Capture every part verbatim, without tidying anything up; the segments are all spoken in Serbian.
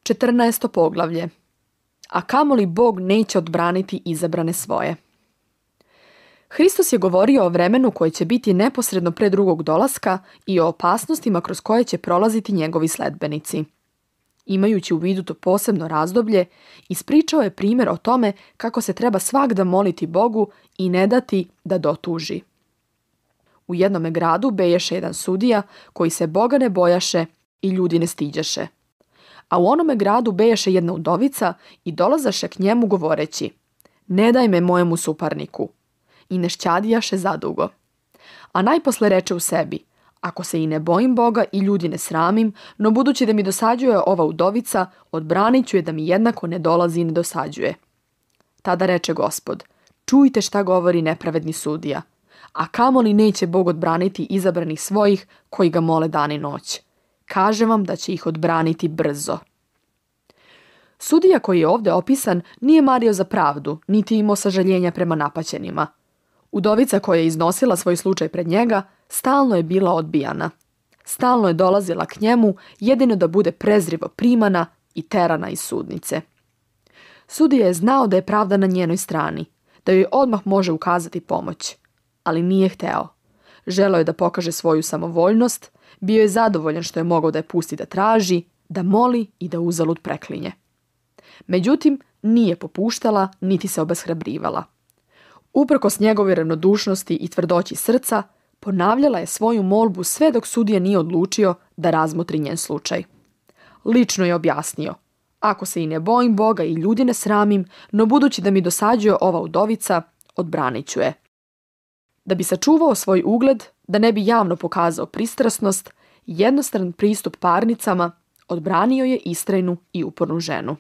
četrnaesto poglavlje. A kamoli Bog neće odbraniti izabrane svoje. Hristos je govorio o vremenu koje će biti neposredno pre drugog dolaska i o opasnostima kroz koje će prolaziti njegovi sledbenici. Imajući u vidu to posebno razdoblje, ispričao je primjer o tome kako se treba svagda moliti Bogu i ne dati da dotuži. U jednome gradu beješe jedan sudija koji se Boga ne bojaše i ljudi ne stiđaše. A u onome gradu bejaše jedna udovica i dolazaše k njemu govoreći: ne daj me mojemu suparniku. I ne šćadijaše zadugo. A najposle reče u sebi: ako se i ne bojim Boga i ljudi ne sramim, no budući da mi dosađuje ova udovica, odbranit ću je da mi jednako ne dolazi i ne dosađuje. Tada reče Gospod: čujte šta govori nepravedni sudija. A kamoli neće Bog odbraniti izabranih svojih koji ga mole dan i noć. Kažem vam da će ih odbraniti brzo. Sudija koji je ovdje opisan nije mario za pravdu, niti imao sažaljenja prema napaćenima. Udovica koja je iznosila svoj slučaj pred njega stalno je bila odbijana. Stalno je dolazila k njemu jedino da bude prezrivo primana i terana iz sudnice. Sudija je znao da je pravda na njenoj strani, da joj odmah može ukazati pomoć, ali nije hteo. Želeo je da pokaže svoju samovoljnost, bio je zadovoljan što je mogao da je pusti da traži, da moli i da uzalud preklinje. Međutim, nije popuštala niti se obeshrabrivala. Uprkos njegove ravnodušnosti i tvrdoći srca, ponavljala je svoju molbu sve dok sudija nije odlučio da razmotri njen slučaj. Lično je objasnio: ako se i ne bojim Boga i ljudi ne sramim, no budući da mi dosađuje ova udovica, odbranit ću je. Da bi sačuvao svoj ugled, da ne bi javno pokazao pristrasnost, jednostran pristup parnicama, odbranio je istrajnu i upornu ženu.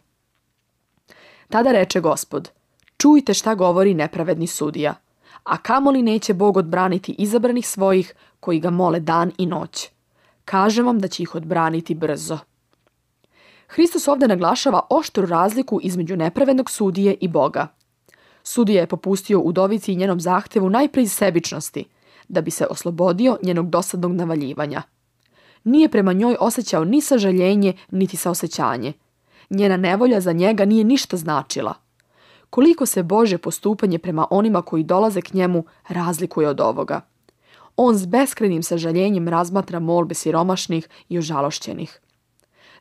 Tada reče Gospod: čujte šta govori nepravedni sudija. A kamoli neće Bog odbraniti izabranih svojih koji ga mole dan i noć. Kažem vam da će ih odbraniti brzo. Hristos ovdje naglašava oštru razliku između nepravednog sudije i Boga. Sudija je popustio udovici i njenom zahtevu najprije iz sebičnosti, da bi se oslobodio njenog dosadnog navaljivanja. Nije prema njoj osjećao ni sažaljenje, niti saosećanje. Njena nevolja za njega nije ništa značila. Koliko se Božje postupanje prema onima koji dolaze k njemu razlikuje od ovoga. On s beskrajnim sažaljenjem razmatra molbe siromašnih i ožalošćenih.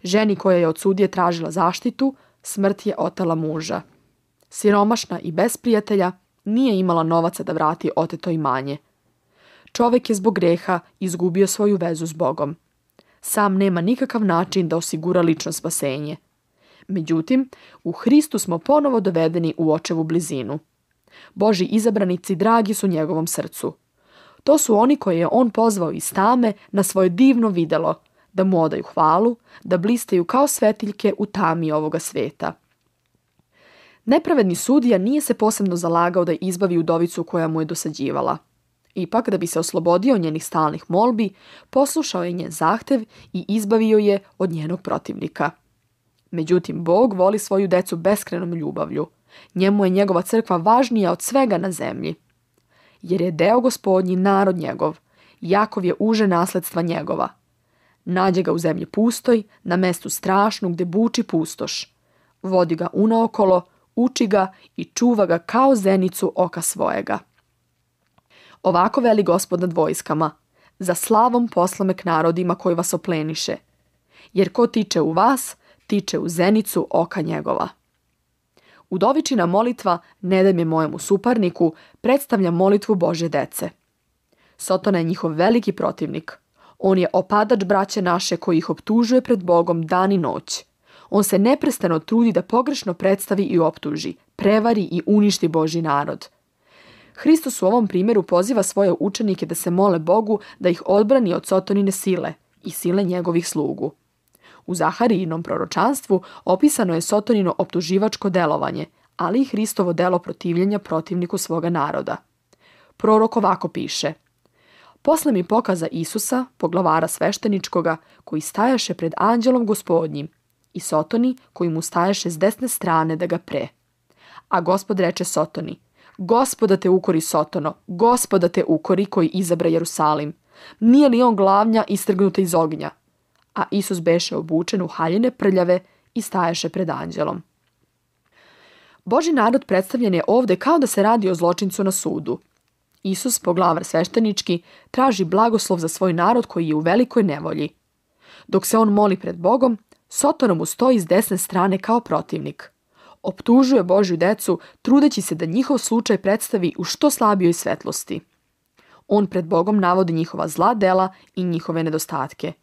Ženi koja je od sudije tražila zaštitu, smrt je otela muža. Siromašna i bez prijatelja, nije imala novaca da vrati oteto imanje. Čovjek je zbog greha izgubio svoju vezu s Bogom. Sam nema nikakav način da osigura lično spasenje. Međutim, u Hristu smo ponovo dovedeni u očevu blizinu. Božji izabranici dragi su njegovom srcu. To su oni koje je on pozvao iz tame na svoje divno videlo, da mu odaju hvalu, da blistaju kao svetiljke u tami ovoga sveta. Nepravedni sudija nije se posebno zalagao da izbavi udovicu koja mu je dosađivala. Ipak, da bi se oslobodio njenih stalnih molbi, poslušao je njen zahtev i izbavio je od njenog protivnika. Međutim, Bog voli svoju decu beskrenom ljubavlju. Njemu je njegova crkva važnija od svega na zemlji. Jer je deo Gospodnji narod njegov, Jakov je uže nasledstva njegova. Nađe ga u zemlji pustoj, na mestu strašnu gde buči pustoš. Vodi ga unaokolo, uči ga i čuva ga kao zenicu oka svojega. Ovako veli Gospod nad vojskama: za slavom poslame k narodima koji vas opleniše. Jer ko tiče u vas, tiče u zenicu oka njegova. Udovičina molitva "Ne daj me mojemu suparniku" predstavlja molitvu Božje dece. Sotona je njihov veliki protivnik. On je opadač braće naše koji ih optužuje pred Bogom dan i noć. On se neprestano trudi da pogrešno predstavi i optuži, prevari i uništi Božji narod. Hristos u ovom primjeru poziva svoje učenike da se mole Bogu da ih odbrani od Sotonine sile i sile njegovih slugu. U Zaharijinom proročanstvu opisano je Sotonino optuživačko delovanje, ali i Hristovo delo protivljenja protivniku svoga naroda. Prorok ovako piše: posle mi pokaza Isusa, poglavara svešteničkoga, koji stajaše pred anđelom Gospodnjim, i Sotoni koji mu stajaše s desne strane da ga pre. A Gospod reče Sotoni: Gospoda te ukori, Sotono, Gospoda te ukori koji izabra Jerusalim. Nije li on glavnja istrgnuta iz ognja? A Isus beše obučen u haljine prljave i stajaše pred anđelom. Božji narod predstavljen je ovde kao da se radi o zločincu na sudu. Isus, poglavar sveštenički, traži blagoslov za svoj narod koji je u velikoj nevolji. Dok se on moli pred Bogom, Sotona mu stoji s desne strane kao protivnik. Optužuje Božju decu, trudeći se da njihov slučaj predstavi u što slabijoj svetlosti. On pred Bogom navodi njihova zla dela i njihove nedostatke.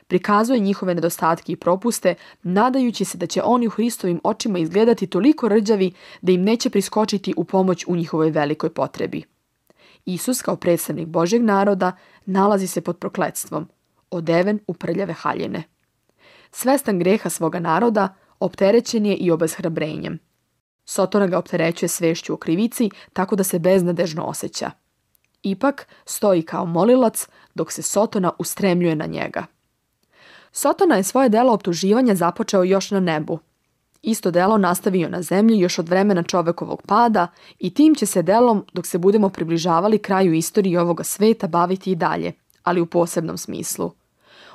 Prikazuje njihove nedostatke i propuste, nadajući se da će oni u Hristovim očima izgledati toliko rđavi da im neće priskočiti u pomoć u njihovoj velikoj potrebi. Isus, kao predstavnik Božjeg naroda, nalazi se pod prokletstvom, odeven u prljave haljine. Svestan greha svoga naroda, opterećen je i obeshrabrenjem. Sotona ga opterećuje svešću o krivici, tako da se beznadežno osjeća. Ipak stoji kao molilac, dok se Sotona ustremljuje na njega. Sotona je svoje delo optuživanja započeo još na nebu. Isto delo nastavio na zemlji još od vremena čovekovog pada i tim će se delom, dok se budemo približavali kraju istorije ovoga sveta, baviti i dalje, ali u posebnom smislu.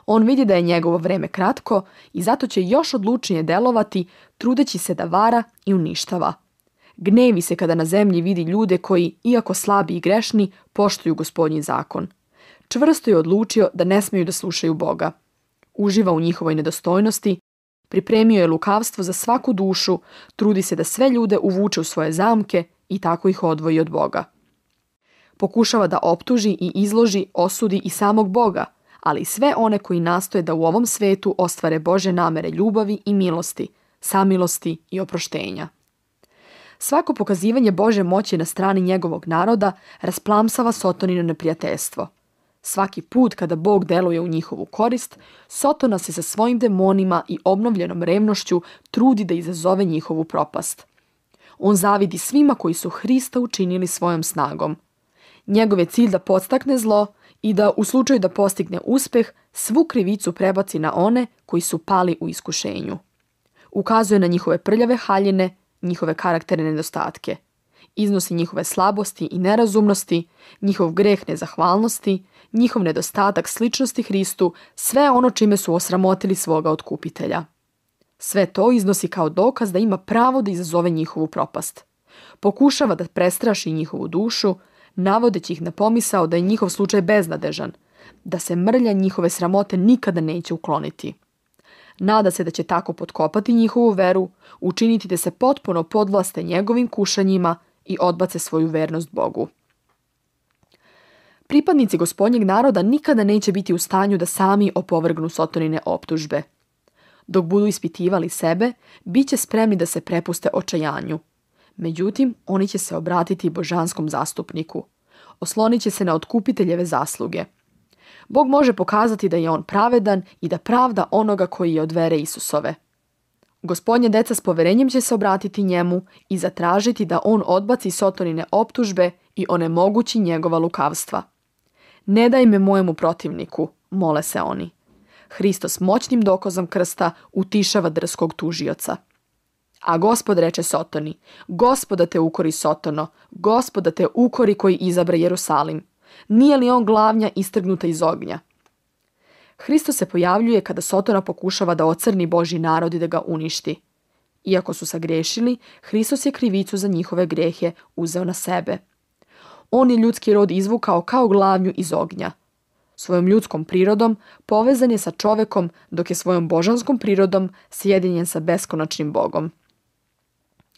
On vidi da je njegovo vreme kratko i zato će još odlučnije delovati, trudeći se da vara i uništava. Gnevi se kada na zemlji vidi ljude koji, iako slabi i grešni, poštuju Gospodnji zakon. Čvrsto je odlučio da ne smeju da slušaju Boga. Uživa u njihovoj nedostojnosti, pripremio je lukavstvo za svaku dušu, trudi se da sve ljude uvuče u svoje zamke i tako ih odvoji od Boga. Pokušava da optuži i izloži, osudi i samog Boga, ali i sve one koji nastoje da u ovom svetu ostvare Božje namere ljubavi i milosti, samilosti i oproštenja. Svako pokazivanje Božje moći na strani njegovog naroda rasplamsava Sotonino neprijateljstvo. Svaki put kada Bog deluje u njihovu korist, Sotona se sa svojim demonima i obnovljenom revnošću trudi da izazove njihovu propast. On zavidi svima koji su Hrista učinili svojom snagom. Njegov je cilj da podstakne zlo i da, u slučaju da postigne uspeh, svu krivicu prebaci na one koji su pali u iskušenju. Ukazuje na njihove prljave haljine, njihove karakterne nedostatke. Iznosi njihove slabosti i nerazumnosti, njihov greh nezahvalnosti, njihov nedostatak sličnosti Hristu, sve ono čime su osramotili svoga otkupitelja. Sve to iznosi kao dokaz da ima pravo da izazove njihovu propast. Pokušava da prestraši njihovu dušu, navodeći ih na pomisao da je njihov slučaj beznadežan, da se mrlja njihove sramote nikada neće ukloniti. Nada se da će tako potkopati njihovu veru, učiniti da se potpuno podvlaste njegovim kušanjima i odbace svoju vernost Bogu. Pripadnici Gospodnjeg naroda nikada neće biti u stanju da sami opovrgnu Sotonine optužbe. Dok budu ispitivali sebe, bit će spremni da se prepuste očajanju. Međutim, oni će se obratiti božanskom zastupniku. Oslonit će se na otkupiteljeve zasluge. Bog može pokazati da je on pravedan i da pravda onoga koji je od vere Isusove. Gospodnje deca s poverenjem će se obratiti njemu i zatražiti da on odbaci Sotonine optužbe i onemogući njegova lukavstva. Ne daj me mojemu protivniku, mole se oni. Hristos moćnim dokazom krsta utišava drskog tužioca. A Gospod reče Sotoni, Gospoda te ukori Sotono, Gospoda te ukori koji izabra Jerusalim. Nije li on glavnja istrgnuta iz ognja? Hristos se pojavljuje kada Sotona pokušava da ocrni Božji narod i da ga uništi. Iako su sagrešili, Hristos je krivicu za njihove grehe uzeo na sebe. On je ljudski rod izvukao kao glavnju iz ognja. Svojom ljudskom prirodom povezan je sa čovekom, dok je svojom božanskom prirodom sjedinjen sa beskonačnim Bogom.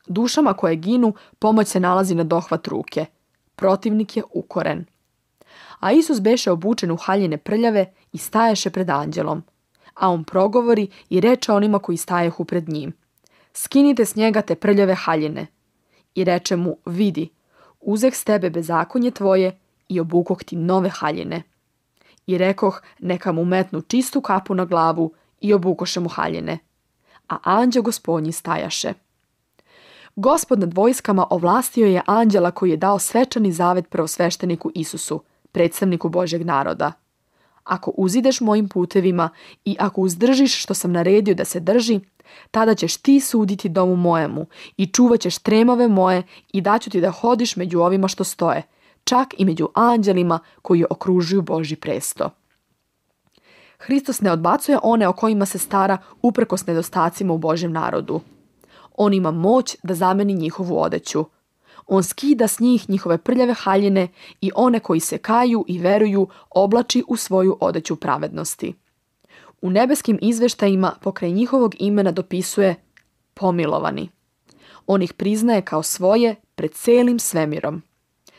Dušama koje ginu pomoć se nalazi na dohvat ruke. Protivnik je ukoren. A Isus beše obučen u haljine prljave i staješe pred anđelom. A on progovori i reče onima koji stajehu pred njim. Skinite s njega te prljave haljine. I reče mu, vidi, uzeh s tebe bezakonje tvoje i obukoh ti nove haljine. I rekoh, neka mu metnu čistu kapu na glavu i obukoše mu haljine. A anđeo Gospodnji stajaše. Gospod nad vojskama ovlastio je anđela koji je dao svečani zavet prvosvešteniku Isusu, predstavniku Božjeg naroda. Ako uzideš mojim putevima i ako uzdržiš što sam naredio da se drži, tada ćeš ti suditi domu mojemu i čuvat ćeš tremove moje i daću ti da hodiš među ovima što stoje, čak i među anđelima koji okružuju Božji presto. Hristos ne odbacuje one o kojima se stara uprkos nedostacima u Božjem narodu. On ima moć da zameni njihovu odeću. On skida s njih njihove prljave haljine i one koji se kaju i veruju oblači u svoju odeću pravednosti. U nebeskim izveštajima pokraj njihovog imena dopisuje pomilovani. On ih priznaje kao svoje pred celim svemirom.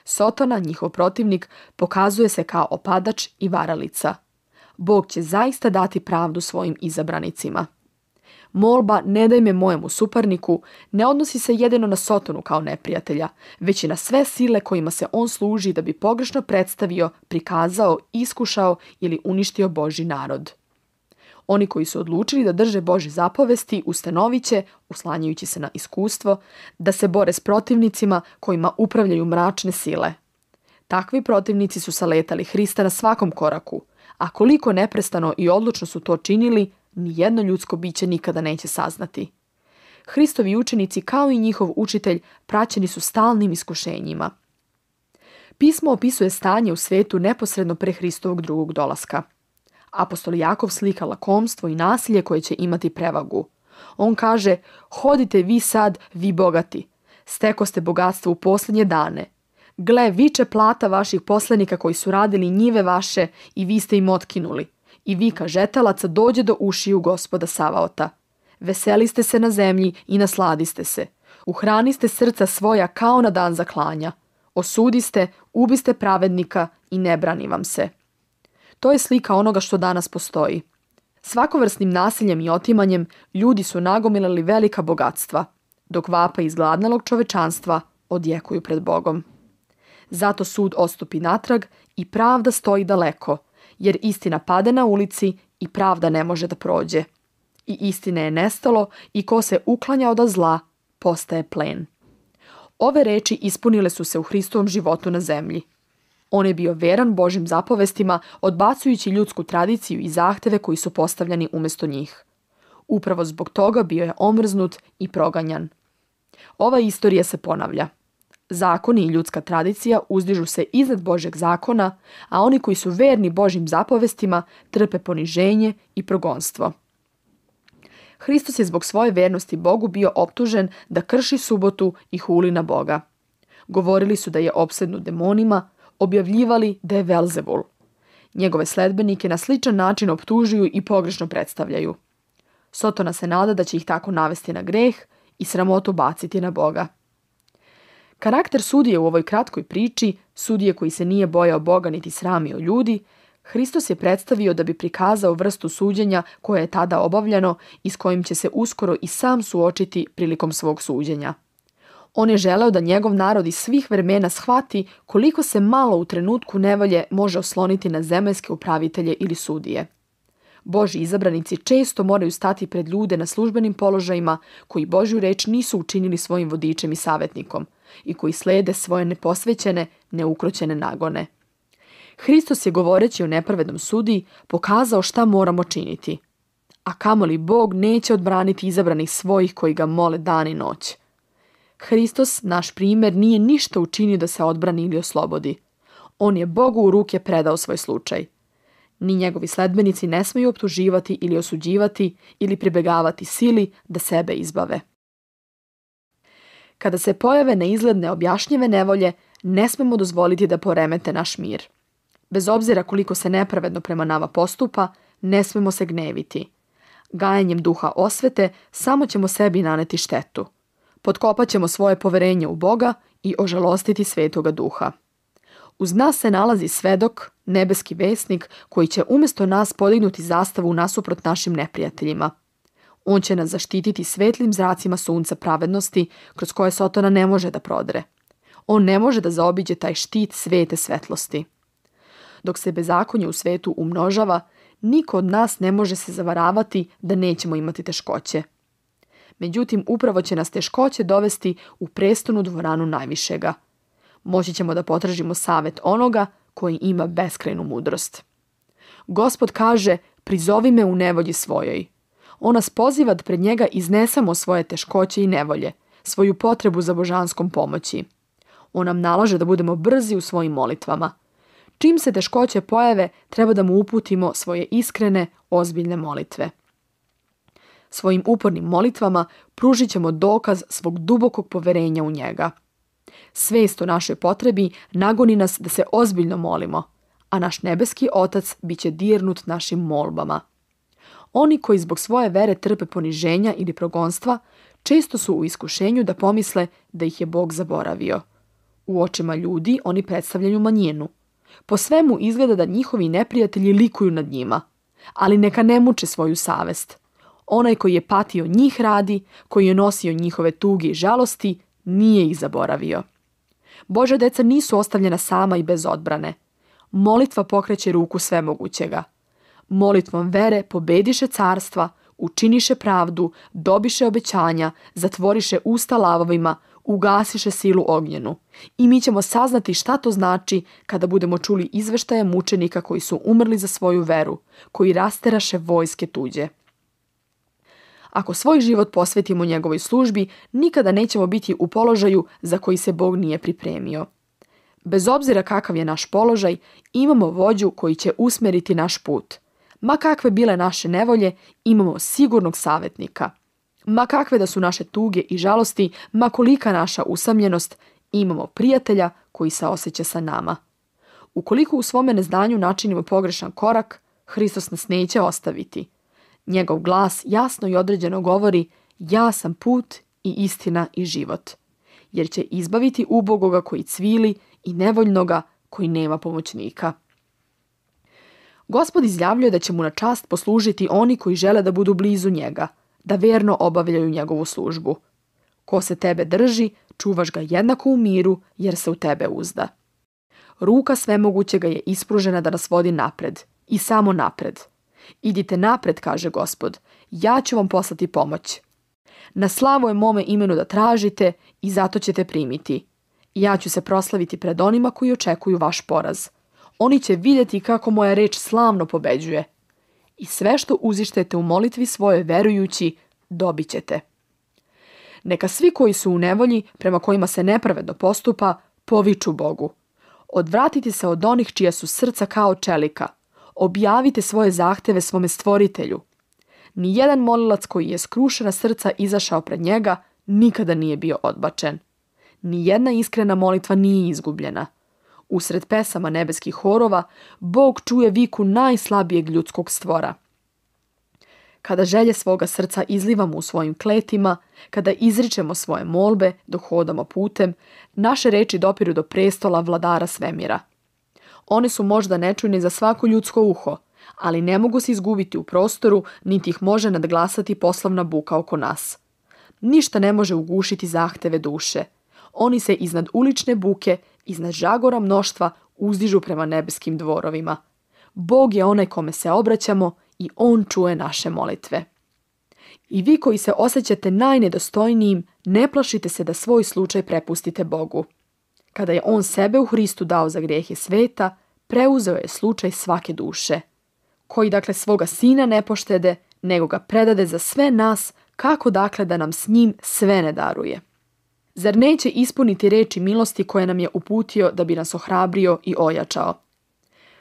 Sotona, njihov protivnik, pokazuje se kao opadač i varalica. Bog će zaista dati pravdu svojim izabranicima. Molba "ne daj me mojemu suparniku" ne odnosi se jedino na Sotonu kao neprijatelja, već i na sve sile kojima se on služi da bi pogrešno predstavio, prikazao, iskušao ili uništio Božji narod. Oni koji su odlučili da drže Božje zapovesti ustanovit će, uslanjajući se na iskustvo, da se bore s protivnicima kojima upravljaju mračne sile. Takvi protivnici su saletali Hrista na svakom koraku, a koliko neprestano i odlučno su to činili, nijedno ljudsko biće nikada neće saznati. Hristovi učenici, kao i njihov učitelj, praćeni su stalnim iskušenjima. Pismo opisuje stanje u svetu neposredno pre Hristovog drugog dolaska. Apostol Jakov slika lakomstvo i nasilje koje će imati prevagu. On kaže: "Hodite vi sad, vi bogati. Stekoste bogatstvo u posljednje dane. Gle, viče plata vaših poslanika koji su radili njive vaše i vi ste im otkinuli. I vika žetalaca dođe do ušiju Gospoda Savaota. Veseliste se na zemlji i nasladiste se. Uhraniste srca svoja kao na dan zaklanja. Osudiste, ubiste pravednika i ne brani vam se." To je slika onoga što danas postoji. Svakovrsnim nasiljem i otimanjem ljudi su nagomilali velika bogatstva, dok vapa izgladnalog čovečanstva odjekuju pred Bogom. Zato sud ostupi natrag i pravda stoji daleko, jer istina pade na ulici i pravda ne može da prođe. I istine je nestalo i ko se uklanja od zla, postaje plen. Ove reči ispunile su se u Hristovom životu na zemlji. On je bio veran Božjim zapovestima, odbacujući ljudsku tradiciju i zahteve koji su postavljani umjesto njih. Upravo zbog toga bio je omrznut i proganjan. Ova istorija se ponavlja. Zakoni i ljudska tradicija uzdižu se iznad Božjeg zakona, a oni koji su verni Božjim zapovestima trpe poniženje i progonstvo. Hristos je zbog svoje vernosti Bogu bio optužen da krši subotu i huli na Boga. Govorili su da je opsednut demonima, objavljivali da je Velzebul. Njegove sledbenike na sličan način optužuju i pogrešno predstavljaju. Sotona se nada da će ih tako navesti na greh i sramotu baciti na Boga. Karakter sudije u ovoj kratkoj priči, sudije koji se nije bojao Boga niti sramio ljudi, Hristos je predstavio da bi prikazao vrstu suđenja koje je tada obavljeno i s kojim će se uskoro i sam suočiti prilikom svog suđenja. On je želeo da njegov narod iz svih vremena shvati koliko se malo u trenutku nevolje može osloniti na zemaljske upravitelje ili sudije. Božji izabranici često moraju stati pred ljude na službenim položajima koji Božju reč nisu učinili svojim vodičem i savjetnikom i koji slede svoje neposvećene, neukroćene nagone. Hristos je, govoreći o nepravednom sudiji, pokazao šta moramo činiti. A kamoli Bog neće odbraniti izabranih svojih koji ga mole dan i noć. Hristos, naš primjer, nije ništa učinio da se odbrani ili oslobodi. On je Bogu u ruke predao svoj slučaj. Ni njegovi sledbenici ne smiju optuživati ili osuđivati ili pribegavati sili da sebe izbave. Kada se pojave neizgled neobjašnjive nevolje, ne smemo dozvoliti da poremete naš mir. Bez obzira koliko se nepravedno prema nama postupa, ne smemo se gneviti. Gajanjem duha osvete samo ćemo sebi naneti štetu. Potkopat ćemo svoje poverenje u Boga i ožalostiti Svetoga Duha. Uz nas se nalazi svedok, nebeski vesnik, koji će umjesto nas podignuti zastavu nasuprot našim neprijateljima. On će nas zaštititi svetlim zracima sunca pravednosti, kroz koje Sotona ne može da prodre. On ne može da zaobiđe taj štit svete svetlosti. Dok se bezakonje u svetu umnožava, niko od nas ne može se zavaravati da nećemo imati teškoće. Međutim, upravo će nas teškoće dovesti u prestonu dvoranu najvišega. Moći ćemo da potražimo savjet onoga koji ima beskrajnu mudrost. Gospod kaže: "Prizovi me u nevolji svojoj." On nas poziva da pred njega iznesemo svoje teškoće i nevolje, svoju potrebu za božanskom pomoći. On nam nalaže da budemo brzi u svojim molitvama. Čim se teškoće pojave, treba da mu uputimo svoje iskrene, ozbiljne molitve. Svojim upornim molitvama pružit ćemo dokaz svog dubokog poverenja u njega. Svest o našoj potrebi nagoni nas da se ozbiljno molimo, a naš nebeski Otac bit će dirnut našim molbama. Oni koji zbog svoje vere trpe poniženja ili progonstva, često su u iskušenju da pomisle da ih je Bog zaboravio. U očima ljudi oni predstavljaju manjinu. Po svemu izgleda da njihovi neprijatelji likuju nad njima, ali neka ne muče svoju savest. Onaj koji je patio njih radi, koji je nosio njihove tuge i žalosti, nije ih zaboravio. Božja deca nisu ostavljena sama i bez odbrane. Molitva pokreće ruku svemogućega. Molitvom vere pobediše carstva, učiniše pravdu, dobiše obećanja, zatvoriše usta lavovima, ugasiše silu ognjenu. I mi ćemo saznati šta to znači kada budemo čuli izveštaje mučenika koji su umrli za svoju veru, koji rasteraše vojske tuđe. Ako svoj život posvetimo njegovoj službi, nikada nećemo biti u položaju za koji se Bog nije pripremio. Bez obzira kakav je naš položaj, imamo vođu koji će usmeriti naš put. Ma kakve bile naše nevolje, imamo sigurnog savjetnika. Ma kakve da su naše tuge i žalosti, ma kolika naša usamljenost, imamo prijatelja koji saoseća sa nama. Ukoliko u svome neznanju načinimo pogrešan korak, Hristos nas neće ostaviti. Njegov glas jasno i određeno govori: ja sam put i istina i život. Jer će izbaviti ubogoga koji cvili i nevoljnoga koji nema pomoćnika. Gospod izjavljuje da će mu na čast poslužiti oni koji žele da budu blizu njega, da verno obavljaju njegovu službu. Ko se tebe drži, čuvaš ga jednako u miru, jer se u tebe uzda. Ruka svemogućega je ispružena da nas vodi napred, i samo napred. Idite napred, kaže Gospod, ja ću vam poslati pomoć. Na slavu je mome imenu da tražite i zato ćete primiti. Ja ću se proslaviti pred onima koji očekuju vaš poraz. Oni će vidjeti kako moja reč slavno pobeđuje. I sve što uzištete u molitvi svojoj verujući, dobit ćete. Neka svi koji su u nevolji, prema kojima se nepravedno postupa, poviču Bogu. Odvratite se od onih čija su srca kao čelika. Objavite svoje zahteve svome stvoritelju. Nijedan molilac koji je skrušena srca izašao pred njega nikada nije bio odbačen. Nijedna iskrena molitva nije izgubljena. Usred pesama nebeskih horova, Bog čuje viku najslabijeg ljudskog stvora. Kada želje svoga srca izlivamo u svojim kletima, kada izričemo svoje molbe dok hodamo putem, naše reči dopiru do prestola vladara svemira. One su možda nečujne za svako ljudsko uho, ali ne mogu se izgubiti u prostoru, niti ih može nadglasati poslovna buka oko nas. Ništa ne može ugušiti zahteve duše. Oni se iznad ulične buke, iznad žagora mnoštva uzdižu prema nebeskim dvorovima. Bog je onaj kome se obraćamo i on čuje naše molitve. I vi koji se osjećate najnedostojnijim, ne plašite se da svoj slučaj prepustite Bogu. Kada je on sebe u Hristu dao za grijehe sveta, preuzeo je slučaj svake duše, koji dakle svoga sina ne poštede, nego ga predade za sve nas, kako dakle da nam s njim sve ne daruje. Zar neće ispuniti reči milosti koje nam je uputio da bi nas ohrabrio i ojačao?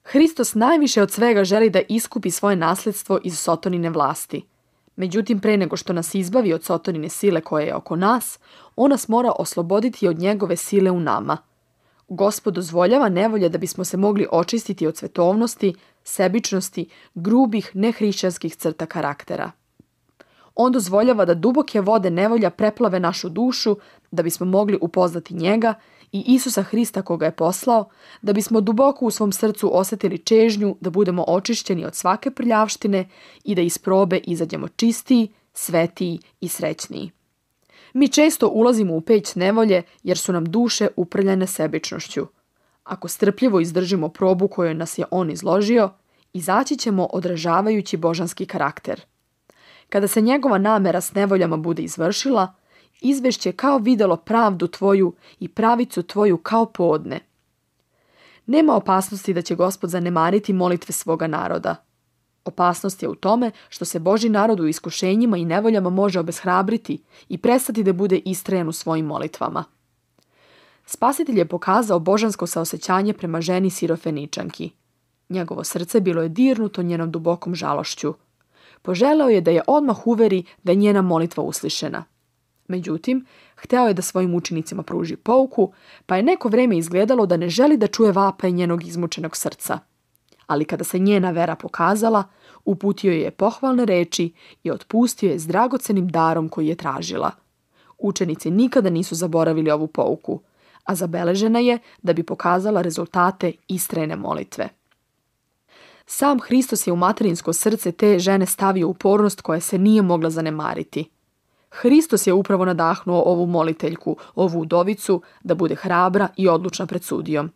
Hristos najviše od svega želi da iskupi svoje nasljedstvo iz Sotonine vlasti. Međutim, pre nego što nas izbavi od Sotonine sile koja je oko nas, on nas mora osloboditi od njegove sile u nama. Gospod dozvoljava nevolje da bismo se mogli očistiti od svetovnosti, sebičnosti, grubih, nehrišćanskih crta karaktera. On dozvoljava da duboke vode nevolja preplave našu dušu, da bismo mogli upoznati njega i Isusa Hrista koga je poslao, da bismo duboko u svom srcu osjetili čežnju da budemo očišćeni od svake prljavštine i da iz probe izađemo čistiji, svetiji i srećniji. Mi često ulazimo u peć nevolje jer su nam duše uprljane sebičnošću. Ako strpljivo izdržimo probu koju nas je on izložio, izaći ćemo odražavajući božanski karakter. Kada se njegova namera s nevoljama bude izvršila, izvešće kao videlo pravdu tvoju i pravicu tvoju kao podne. Nema opasnosti da će Gospod zanemariti molitve svoga naroda. Opasnost je u tome što se Božji narod u iskušenjima i nevoljama može obeshrabriti i prestati da bude istrajan u svojim molitvama. Spasitelj je pokazao božansko saosećanje prema ženi Sirofeničanki. Njegovo srce bilo je dirnuto njenom dubokom žalošću. Poželeo je da je odmah uveri da je njena molitva uslišena. Međutim, hteo je da svojim učenicima pruži pouku, pa je neko vreme izgledalo da ne želi da čuje vapaj njenog izmučenog srca. Ali kada se njena vera pokazala, uputio je pohvalne reči i otpustio je s dragocenim darom koji je tražila. Učenici nikada nisu zaboravili ovu pouku, a zabeležena je da bi pokazala rezultate istrajne molitve. Sam Hristos je u materinsko srce te žene stavio upornost koja se nije mogla zanemariti. Hristos je upravo nadahnuo ovu moliteljku, ovu udovicu, da bude hrabra i odlučna pred sudijom.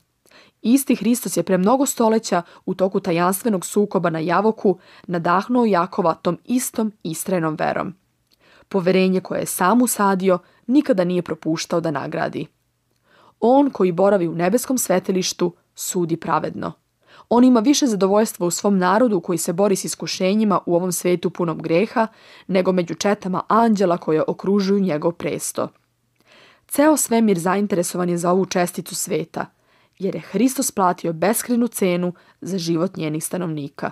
Isti Hristos je pre mnogo stoleća u toku tajanstvenog sukoba na Javoku nadahnuo Jakova tom istom istrajnom verom. Poverenje koje je sam usadio nikada nije propuštao da nagradi. On koji boravi u nebeskom svetilištu sudi pravedno. On ima više zadovoljstva u svom narodu koji se bori s iskušenjima u ovom svetu punom greha, nego među četama anđela koje okružuju njegov presto. Ceo svemir zainteresovan je za ovu česticu sveta, jer je Hristos platio beskrajnu cenu za život njenih stanovnika.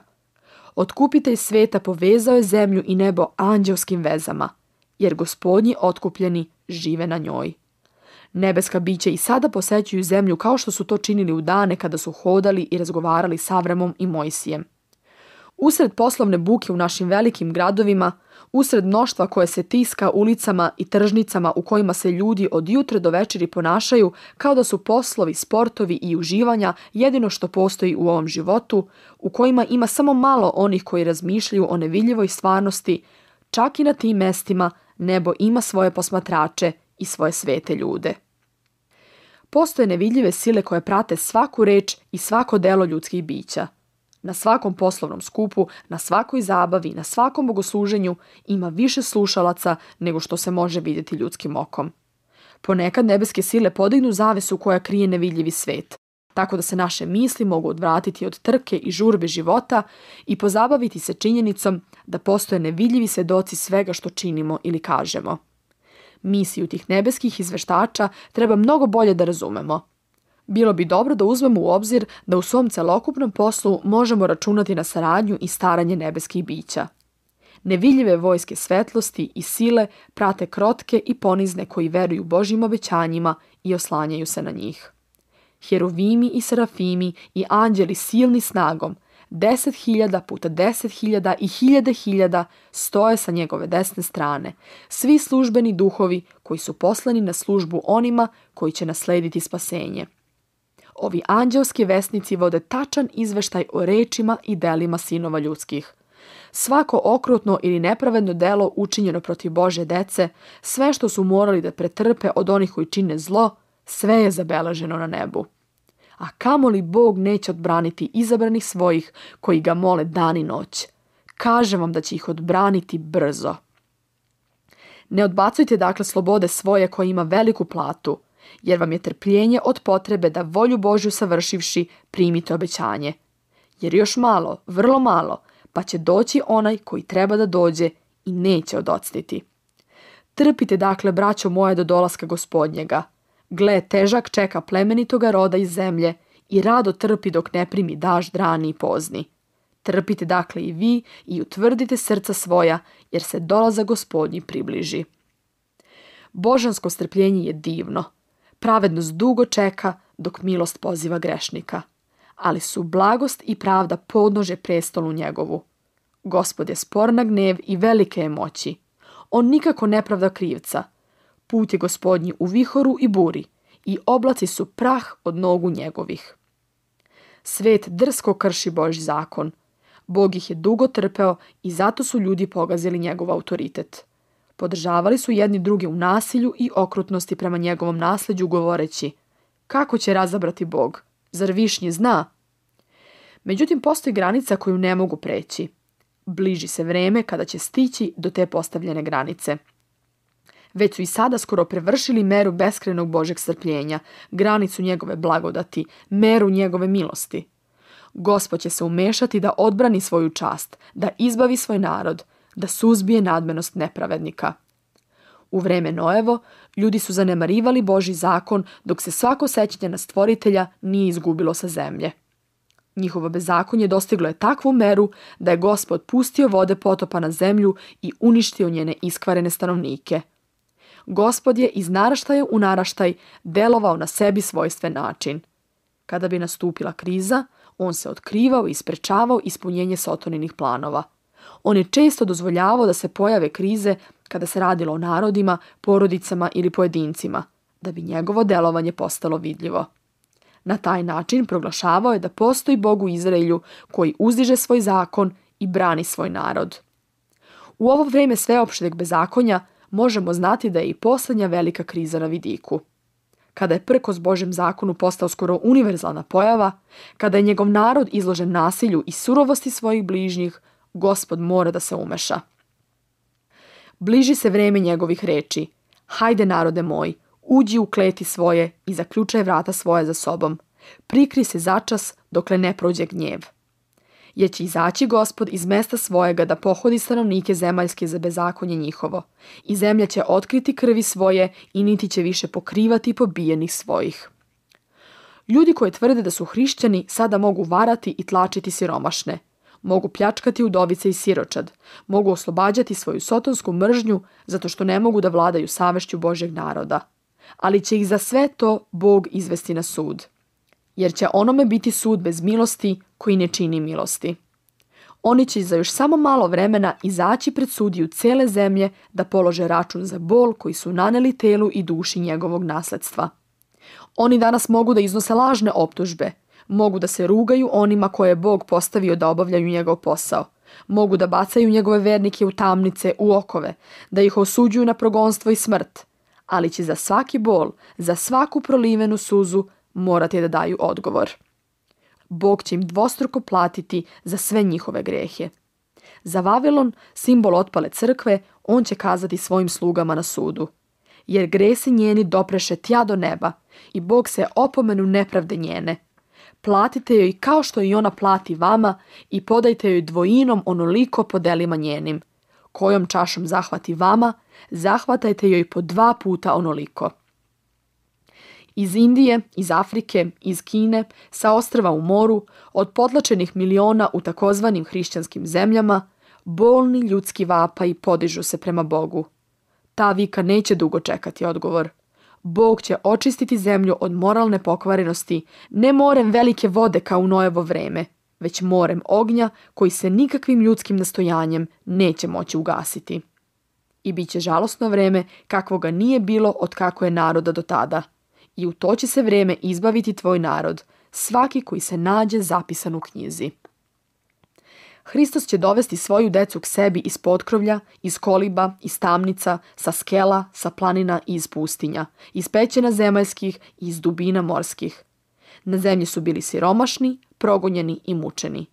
Otkupitelj sveta povezao je zemlju i nebo anđelskim vezama, jer Gospodnji otkupljeni žive na njoj. Nebeska bića i sada posećuju zemlju kao što su to činili u dane kada su hodali i razgovarali s Avramom i Mojsijem. Usred poslovne buke u našim velikim gradovima, usred mnoštva koje se tiska ulicama i tržnicama u kojima se ljudi od jutra do večeri ponašaju kao da su poslovi, sportovi i uživanja jedino što postoji u ovom životu, u kojima ima samo malo onih koji razmišljaju o nevidljivoj stvarnosti, čak i na tim mestima nebo ima svoje posmatrače i svoje svete ljude. Postoje nevidljive sile koje prate svaku reč i svako delo ljudskih bića. Na svakom poslovnom skupu, na svakoj zabavi, na svakom bogosluženju ima više slušalaca nego što se može vidjeti ljudskim okom. Ponekad nebeske sile podignu zavesu koja krije nevidljivi svet, tako da se naše misli mogu odvratiti od trke i žurbe života i pozabaviti se činjenicom da postoje nevidljivi svedoci svega što činimo ili kažemo. Misiju tih nebeskih izveštača treba mnogo bolje da razumemo. Bilo bi dobro da uzmemo u obzir da u svom celokupnom poslu možemo računati na saradnju i staranje nebeskih bića. Nevidljive vojske svetlosti i sile prate krotke i ponizne koji veruju Božjim obećanjima i oslanjaju se na njih. Heruvimi i serafimi i anđeli silni snagom, deset hiljada puta deset hiljada i hiljade hiljada stoje sa njegove desne strane, svi službeni duhovi koji su poslani na službu onima koji će naslediti spasenje. Ovi anđelski vesnici vode tačan izveštaj o rečima i delima sinova ljudskih. Svako okrutno ili nepravedno delo učinjeno protiv Božje dece, sve što su morali da pretrpe od onih koji čine zlo, sve je zabeleženo na nebu. A kamoli Bog neće odbraniti izabranih svojih koji ga mole dan i noć. Kažem vam da će ih odbraniti brzo. Ne odbacujte dakle slobode svoje koja ima veliku platu, jer vam je trpljenje od potrebe da volju Božju savršivši primite obećanje. Jer još malo, vrlo malo, pa će doći onaj koji treba da dođe i neće odocniti. Trpite dakle, braćo moje, do dolaska Gospodnjega. Gle, težak čeka plemenitoga roda iz zemlje i rado trpi dok ne primi dažd rani i pozni. Trpite dakle i vi i utvrdite srca svoja, jer se dolazak Gospodnji približi. Božansko strpljenje je divno. Pravednost dugo čeka dok milost poziva grešnika, ali su blagost i pravda podnože prestolu njegovu. Gospod je spor na gnev i velike je moći. On nikako ne pravda krivca. Put je Gospodnji u vihoru i buri i oblaci su prah od nogu njegovih. Svet drsko krši Božji zakon. Bog ih je dugo trpeo i zato su ljudi pogazili njegov autoritet. Podržavali su jedni druge u nasilju i okrutnosti prema njegovom nasleđu govoreći: kako će razabrati Bog? Zar višnji zna? Međutim, postoji granica koju ne mogu preći. Bliži se vreme kada će stići do te postavljene granice. Već su i sada skoro prevršili meru beskrajnog Božjeg strpljenja, granicu njegove blagodati, meru njegove milosti. Gospod će se umešati da odbrani svoju čast, da izbavi svoj narod, da suzbije nadmenost nepravednika. U vreme Noevo, ljudi su zanemarivali Božji zakon dok se svako sećanje na Stvoritelja nije izgubilo sa zemlje. Njihovo bezakonje dostiglo je takvu meru da je Gospod pustio vode potopa na zemlju i uništio njene iskvarene stanovnike. Gospod je iz naraštaja u naraštaj delovao na sebi svojstven način. Kada bi nastupila kriza, on se otkrivao i sprečavao ispunjenje Sotoninih planova. On je često dozvoljavao da se pojave krize kada se radilo o narodima, porodicama ili pojedincima, da bi njegovo delovanje postalo vidljivo. Na taj način proglašavao je da postoji Bog u Izraelju koji uzdiže svoj zakon i brani svoj narod. U ovo vrijeme sveopšteg bezakonja možemo znati da je i posljednja velika kriza na vidiku. Kada je prkos Božjem zakonu postao skoro univerzalna pojava, kada je njegov narod izložen nasilju i surovosti svojih bližnjih, Gospod mora da se umeša. Bliži se vrijeme njegovih reči. Hajde, narode moj, uđi u kleti svoje i zaključaj vrata svoje za sobom. Prikri se začas dokle ne prođe gnjev. Jer će izaći Gospod iz mesta svojega da pohodi stanovnike zemaljske za bezakonje njihovo. I zemlja će otkriti krvi svoje i niti će više pokrivati pobijenih svojih. Ljudi koji tvrde da su hrišćani sada mogu varati i tlačiti siromašne. Mogu pljačkati udovice i siročad, mogu oslobađati svoju sotonsku mržnju zato što ne mogu da vladaju savešću Božjeg naroda. Ali će ih za sve to Bog izvesti na sud. Jer će onome biti sud bez milosti koji ne čini milosti. Oni će za još samo malo vremena izaći pred sudiju cele zemlje da polože račun za bol koji su naneli telu i duši njegovog nasledstva. Oni danas mogu da iznose lažne optužbe, mogu da se rugaju onima koje je Bog postavio da obavljaju njegov posao. Mogu da bacaju njegove vernike u tamnice, u okove, da ih osuđuju na progonstvo i smrt. Ali će za svaki bol, za svaku prolivenu suzu morati da daju odgovor. Bog će im dvostruko platiti za sve njihove grehe. Za Vavilon, simbol otpale crkve, on će kazati svojim slugama na sudu. Jer gresi njeni dopreše tja do neba i Bog se opomenu nepravde njene. Platite joj kao što i ona plati vama i podajte joj dvojinom onoliko po delima njenim. Kojom čašom zahvati vama, zahvatajte joj po dva puta onoliko. Iz Indije, iz Afrike, iz Kine, sa ostrva u moru, od potlačenih miliona u takozvanim hrišćanskim zemljama, bolni ljudski vapaj podižu se prema Bogu. Ta vika neće dugo čekati odgovor. Bog će očistiti zemlju od moralne pokvarenosti, ne morem velike vode kao u Noevo vreme, već morem ognja koji se nikakvim ljudskim nastojanjem neće moći ugasiti. I bit će žalosno vreme kakvoga nije bilo od kako je naroda do tada. I u to će se vreme izbaviti tvoj narod, svaki koji se nađe zapisan u knjizi. Hristos će dovesti svoju decu k sebi iz potkrovlja, iz koliba, iz tamnica, sa skela, sa planina i iz pustinja, iz pećina zemaljskih i iz dubina morskih. Na zemlji su bili siromašni, progonjeni i mučeni.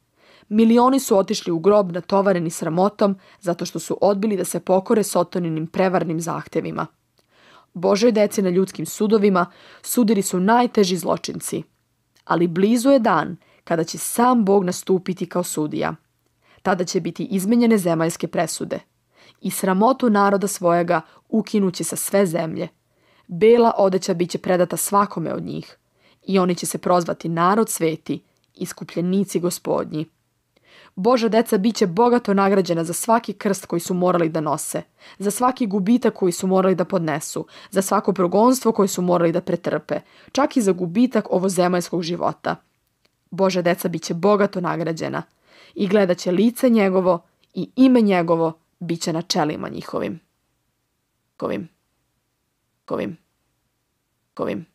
Milioni su otišli u grob natovareni sramotom zato što su odbili da se pokore Sotoninim prevarnim zahtevima. Božoj deci na ljudskim sudovima sudili su najteži zločinci. Ali blizu je dan kada će sam Bog nastupiti kao sudija. Tada će biti izmenjene zemaljske presude. I sramotu naroda svojega ukinuće sa sve zemlje. Bela odeća bit će predata svakome od njih. I oni će se prozvati narod sveti, iskupljenici gospodnji. Božja deca bit će bogato nagrađena za svaki krst koji su morali da nose, za svaki gubitak koji su morali da podnesu, za svako progonstvo koje su morali da pretrpe, čak i za gubitak ovozemaljskog života. Božja deca bit će bogato nagrađena i gledat će lice njegovo i ime njegovo bit će na čelima njihovim. Kovim. Kovim. Kovim.